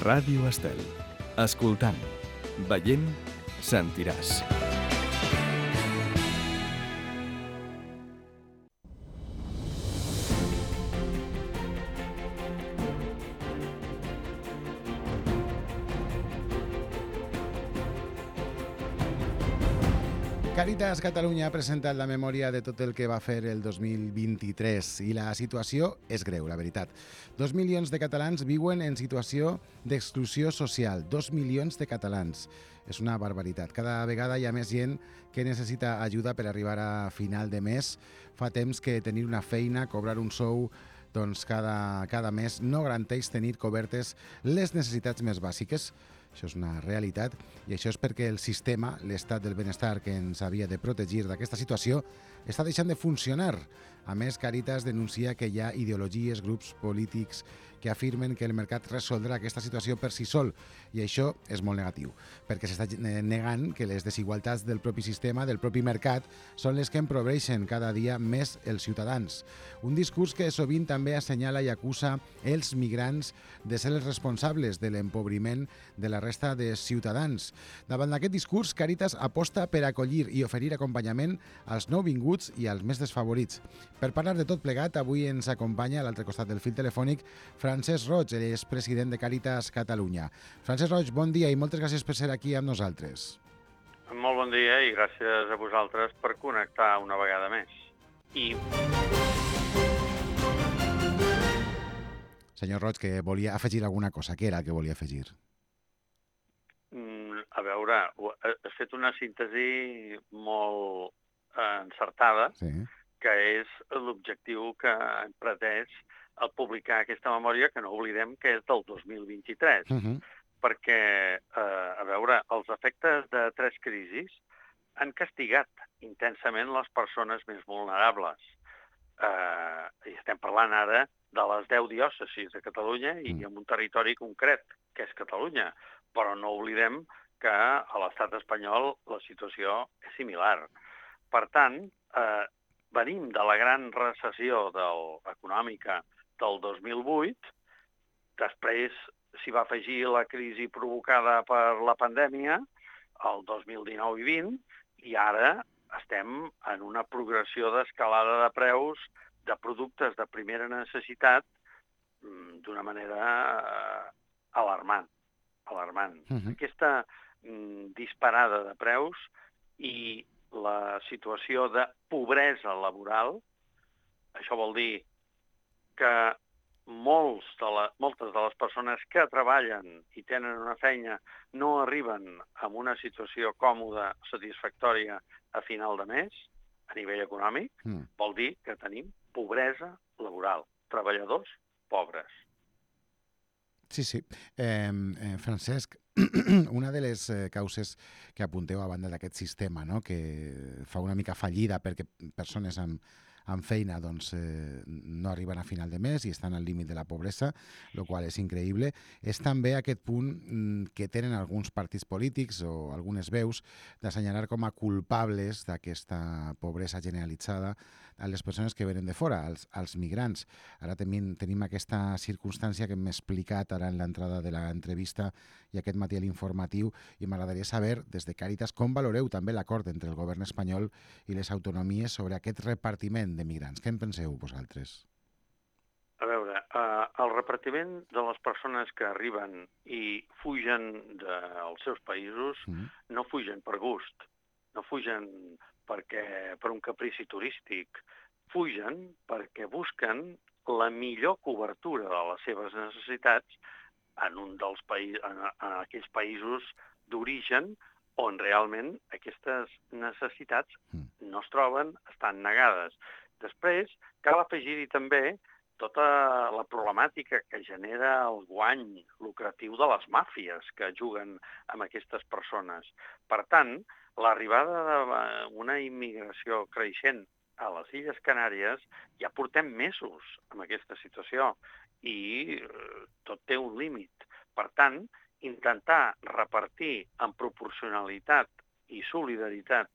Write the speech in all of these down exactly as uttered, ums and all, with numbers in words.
Ràdio Estel. Escoltant, veient, sentiràs. Càritas Catalunya ha presentat la memòria de tot el que va fer el dos mil vint-i-tres i la situació és greu, la veritat. Dos milions de catalans viuen en situació d'exclusió social. Dos milions de catalans. És una barbaritat. Cada vegada hi ha més gent que necessita ajuda per arribar a final de mes. Fa temps que tenir una feina, cobrar un sou, doncs cada, cada mes no garanteix tenir cobertes les necessitats més bàsiques. Això és una realitat i això és perquè el sistema, l'estat del benestar que ens havia de protegir d'aquesta situació, està deixant de funcionar. A més, Càritas denuncia que hi ha ideologies, grups polítics que afirmen que el mercat resoldrà aquesta situació per si sol i això és molt negatiu, perquè s'està negant que les desigualtats del propi sistema, del propi mercat, són les que empobreixen cada dia més els ciutadans. Un discurs que sovint també assenyala i acusa els migrants de ser els responsables de l'empobriment de la resta de ciutadans. Davant d'aquest discurs, Càritas aposta per acollir i oferir acompanyament als nouvinguts i als més desfavorits. Per parlar de tot plegat, avui ens acompanya a l'altre costat del fil telefònic Francesc Roig, ell és president de Càritas Catalunya. Francesc Roig, bon dia i moltes gràcies per ser aquí amb nosaltres. Molt bon dia i gràcies a vosaltres per connectar una vegada més. I... Senyor Roig, que volia afegir alguna cosa. Què era el que volia afegir? A veure, has fet una síntesi molt encertada, sí, que és l'objectiu que hem pretès al publicar aquesta memòria, que no oblidem que és del dos mil vint-i-tres, uh-huh. perquè, eh, a veure, els efectes de tres crisis han castigat intensament les persones més vulnerables. Eh, I estem parlant ara de les deu diòcesis de Catalunya i uh-huh. en un territori concret, que és Catalunya, però no oblidem que a l'estat espanyol la situació és similar. Per tant, eh, venim de la gran recessió del, econòmica del dos mil vuit, després s'hi va afegir la crisi provocada per la pandèmia, el dos mil dinou i vint, i ara estem en una progressió d'escalada de preus de productes de primera necessitat d'una manera eh, alarmant. alarmant. Uh-huh. Aquesta mm, disparada de preus i la situació de pobresa laboral, això vol dir que molts de la, moltes de les persones que treballen i tenen una feina no arriben a una situació còmoda, satisfactòria a final de mes, a nivell econòmic, mm. vol dir que tenim pobresa laboral, treballadors pobres. Sí, sí. Eh, eh, Francesc, una de les eh, causes que apunteu a banda d'aquest sistema, no?, que fa una mica fallida perquè persones amb, amb feina doncs, eh, no arriben a final de mes i estan al límit de la pobresa, el qual és increïble, és també aquest punt mm, que tenen alguns partits polítics o algunes veus d'assenyalar com a culpables d'aquesta pobresa generalitzada a les persones que venen de fora, als, als migrants. Ara tenim, tenim aquesta circumstància que hem explicat ara en l'entrada de l'entrevista i aquest matí a l'informatiu, i m'agradaria saber, des de Càritas, com valoreu també l'acord entre el govern espanyol i les autonomies sobre aquest repartiment de migrants. Què en penseu vosaltres? A veure, eh, el repartiment de les persones que arriben i fugen dels seus països mm. no fugen per gust, no fugen perquè per un caprici turístic, fugen perquè busquen la millor cobertura de les seves necessitats en un dels països, en, en aquells països d'origen on realment aquestes necessitats no es troben, estan negades. Després, cal afegir-hi també tota la problemàtica que genera el guany lucratiu de les màfies que juguen amb aquestes persones. Per tant, l'arribada d'una immigració creixent a les Illes Canàries ja portem mesos amb aquesta situació i tot té un límit. Per tant, intentar repartir en proporcionalitat i solidaritat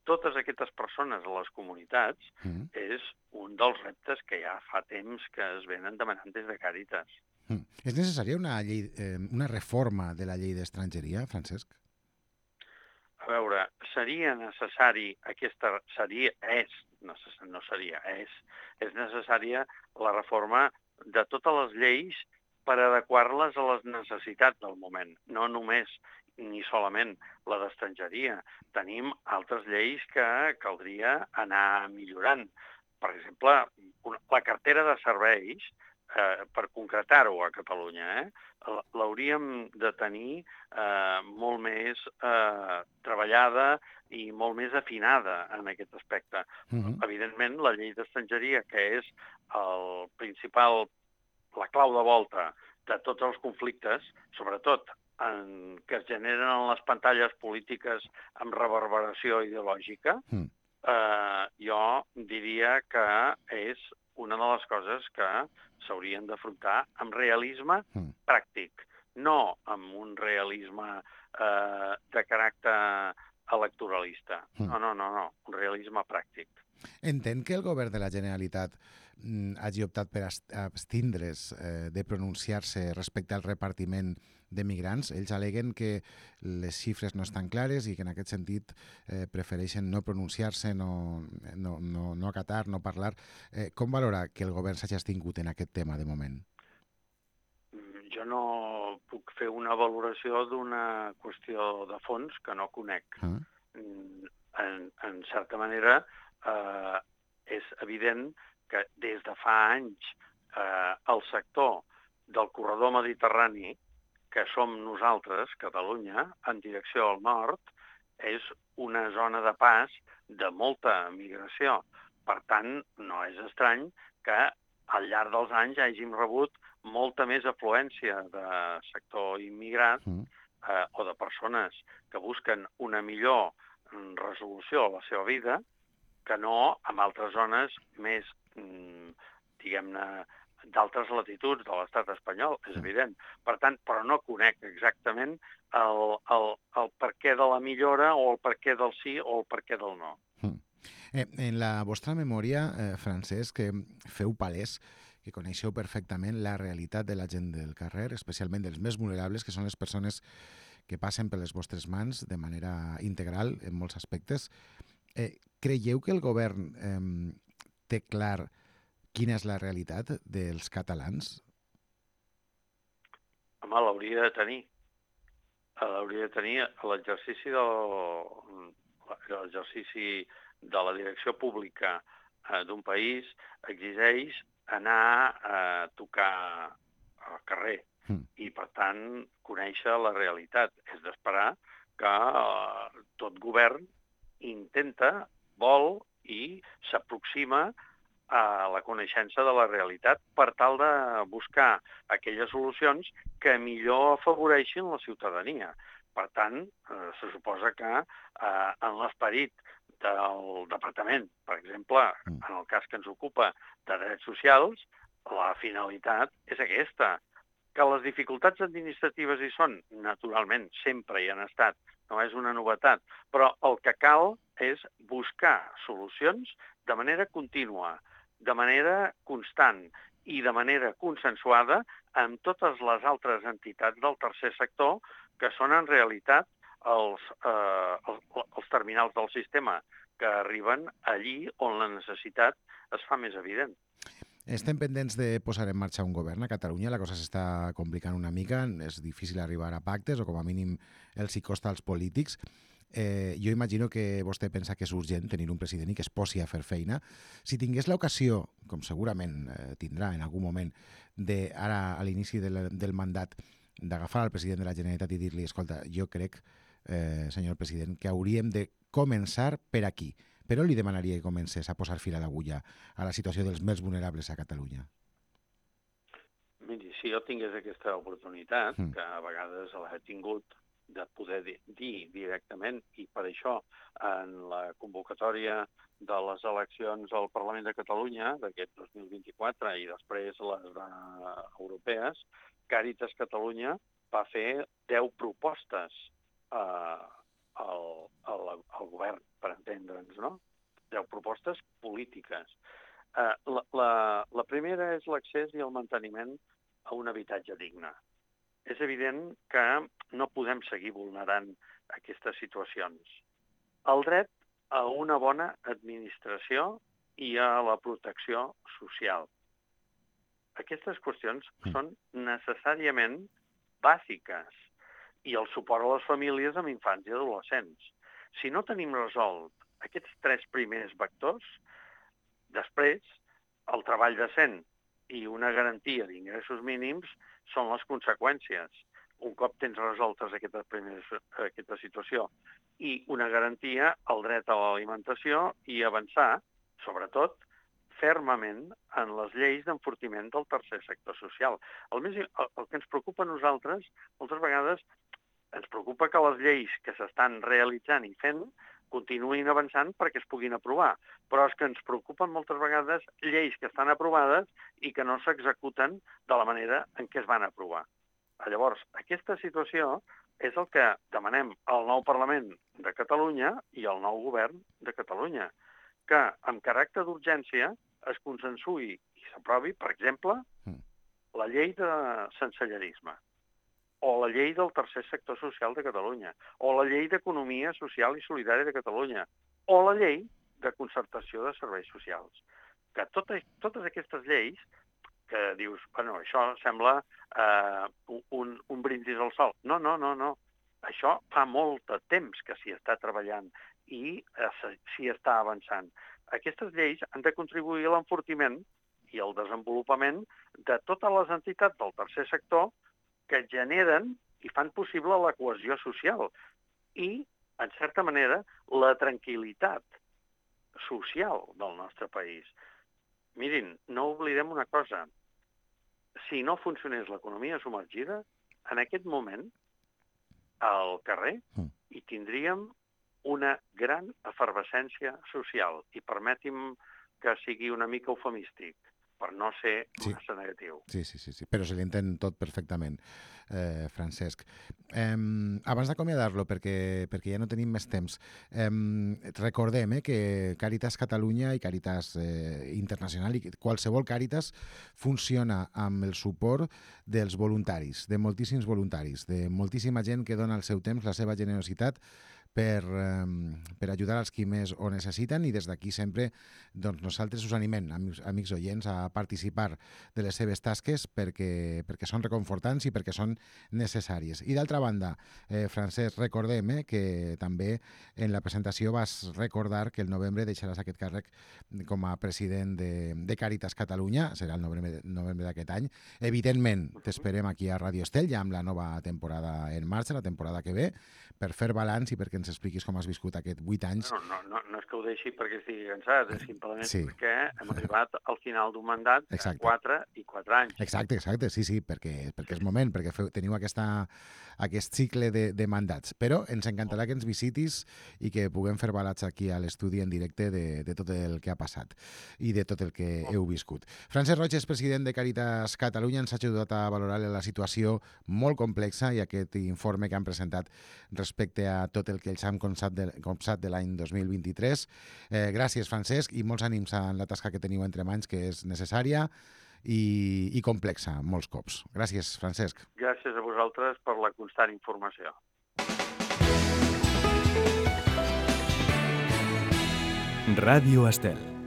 totes aquestes persones a les comunitats mm. és un dels reptes que ja fa temps que es venen demanant des de Càritas. Mm. És necessària una, llei, eh, una reforma de la llei d'estrangeria, Francesc? A veure, seria necessari aquesta... Seria, és, necess, no seria, és, és necessària la reforma de totes les lleis per adequar-les a les necessitats del moment, no només ni solament la d'estrangeria. Tenim altres lleis que caldria anar millorant. Per exemple, una, la cartera de serveis, eh, per concretar-ho a Catalunya, eh, l'hauríem de tenir eh, molt més eh, treballada i molt més afinada en aquest aspecte. Uh-huh. Evidentment, la llei d'estrangeria, que és el principal, la clau de volta de tots els conflictes, sobretot en, que es generen en les pantalles polítiques amb reverberació ideològica, uh-huh. eh, jo diria que és una de les coses que s'haurien d'afrontar amb realisme mm. pràctic, no amb un realisme eh, de caràcter electoralista. Mm. No, no, no, no, un realisme pràctic. Entén que el govern de la Generalitat mm, hagi optat per abstindre's eh, de pronunciar-se respecte al repartiment de migrants. Ells aleguen que les xifres no estan clares i que en aquest sentit eh, prefereixen no pronunciar-se, no, no, no, no acatar, no parlar. Eh, com valora que el govern s'hagi abstingut en aquest tema de moment? Jo no puc fer una valoració d'una qüestió de fons que no conec. Ah. En, en certa manera, eh, és evident que des de fa anys eh, el sector del corredor mediterrani, que som nosaltres, Catalunya, en direcció al nord, és una zona de pas de molta migració. Per tant, no és estrany que al llarg dels anys hàgim rebut molta més afluència de sector immigrat eh, o de persones que busquen una millor resolució a la seva vida que no en altres zones més, diguem-ne, d'altres latituds de l'estat espanyol, és evident. Per tant, però no conec exactament el, el, el perquè de la millora o el perquè del sí o el perquè del no. Mm. Eh, en la vostra memòria, eh, Francesc, que feu palès que coneixeu perfectament la realitat de la gent del carrer, especialment dels més vulnerables, que són les persones que passen per les vostres mans de manera integral en molts aspectes. Eh, creieu que el govern eh, té clar quina és la realitat dels catalans? Home, l'hauria de tenir. L'hauria de tenir a l'exercici del, l'exercici de la direcció pública eh, d'un país exigeix anar a tocar al carrer mm. i, per tant, conèixer la realitat. És d'esperar que eh, tot govern intenta, vol i s'aproxima a la coneixença de la realitat per tal de buscar aquelles solucions que millor afavoreixin la ciutadania. Per tant, eh, se suposa que eh, en l'esperit del departament, per exemple, en el cas que ens ocupa de drets socials, la finalitat és aquesta. Que les dificultats administratives hi són, naturalment, sempre hi han estat, no és una novetat, però el que cal és buscar solucions de manera contínua, de manera constant i de manera consensuada amb totes les altres entitats del tercer sector que són en realitat els, eh, els, els terminals del sistema que arriben allí on la necessitat es fa més evident. Estem pendents de posar en marxa un govern a Catalunya, la cosa s'està complicant una mica, és difícil arribar a pactes o com a mínim els hi costa als polítics. Eh, jo imagino que vostè pensa que és urgent tenir un president i que es posi a fer feina. Si tingués l'ocasió, com segurament eh, tindrà en algun moment, de ara a l'inici del, del mandat, d'agafar al president de la Generalitat i dir-li, escolta, jo crec, eh, senyor president, que hauríem de començar per aquí. Però li demanaria que comencés a posar fil a l'agulla a la situació dels més vulnerables a Catalunya. Miri, si jo tingués aquesta oportunitat, mm. que a vegades l'he tingut, de poder dir directament, i per això en la convocatòria de les eleccions al Parlament de Catalunya d'aquest dos mil vint-i-quatre i després les de europees, Càritas Catalunya va fer deu propostes eh, al, al, al govern, per entendre'ns, no? Deu propostes polítiques. Eh, la, la, la primera és l'accés i el manteniment a un habitatge digne. És evident que no podem seguir vulnerant aquestes situacions. El dret a una bona administració i a la protecció social. Aquestes qüestions són necessàriament bàsiques i el suport a les famílies amb infants i adolescents. Si no tenim resolt aquests tres primers vectors, després el treball decent i una garantia d'ingressos mínims són les conseqüències. Un cop tens resoltes aquesta, primera, aquesta situació i una garantia al dret a l'alimentació i avançar, sobretot, fermament en les lleis d'enfortiment del tercer sector social. El, més, el, el que ens preocupa a nosaltres, moltes vegades, ens preocupa que les lleis que s'estan realitzant i fent continuïn avançant perquè es puguin aprovar. Però és que ens preocupen moltes vegades lleis que estan aprovades i que no s'executen de la manera en què es van aprovar. Llavors, aquesta situació és el que demanem al nou Parlament de Catalunya i al nou Govern de Catalunya, que amb caràcter d'urgència es consensuï i s'aprovi, per exemple, la llei de sensellerisme, o la llei del tercer sector social de Catalunya, o la llei d'economia social i solidària de Catalunya, o la llei de concertació de serveis socials. Que totes, totes aquestes lleis que dius, bueno, això sembla eh, un, un brindis al sol. No, no, no, no. Això fa molt de temps que s'hi està treballant i eh, s'hi està avançant. Aquestes lleis han de contribuir a l'enfortiment i al desenvolupament de totes les entitats del tercer sector que generen i fan possible la cohesió social i, en certa manera, la tranquil·litat social del nostre país. Mirin, no oblidem una cosa. Si no funcionés l'economia submergida, en aquest moment, al carrer, hi tindríem una gran efervescència social. I permeti'm que sigui una mica eufemístic, per no ser sí. massa negatiu. Sí, sí, sí, sí, però se l'entén tot perfectament, eh, Francesc. Eh, abans d'acomiadar-lo, perquè, perquè ja no tenim més temps, eh, recordem eh, que Càritas Catalunya i Càritas eh, Internacional i qualsevol Càritas funciona amb el suport dels voluntaris, de moltíssims voluntaris, de moltíssima gent que dona el seu temps, la seva generositat, per, eh, per ajudar als qui més ho necessiten i des d'aquí sempre doncs, nosaltres us animem, amics, amics oients, a participar de les seves tasques perquè, perquè són reconfortants i perquè són necessàries. I d'altra banda, eh, Francesc, recordem eh, que també en la presentació vas recordar que el novembre deixaràs aquest càrrec com a president de, de Càritas Catalunya, serà el novembre, novembre d'aquest any. Evidentment, t'esperem aquí a Radio Estel, ja amb la nova temporada en marxa, la temporada que ve, per fer balanç i perquè ens expliquis com has viscut aquests vuit anys. No, no, no, no és que ho deixi perquè estigui cansat, és simplement sí. perquè hem arribat al final d'un mandat de quatre i quatre anys. Exacte, exacte, sí, sí, perquè, perquè és moment, perquè feu, teniu aquesta, aquest cicle de, de mandats. Però ens encantarà que ens visitis i que puguem fer balanç aquí a l'estudi en directe de, de tot el que ha passat i de tot el que heu viscut. Francesc Roig és president de Càritas Catalunya, ens ha ajudat a valorar la situació molt complexa i aquest informe que han presentat respecte a tot el que ells han copsat de, copsat de l'any dos mil vint-i-tres. Eh, gràcies, Francesc, i molts ànims en la tasca que teniu entre mans, que és necessària i, i complexa, molts cops. Gràcies, Francesc. Gràcies a vosaltres per la constant informació. Ràdio Estel.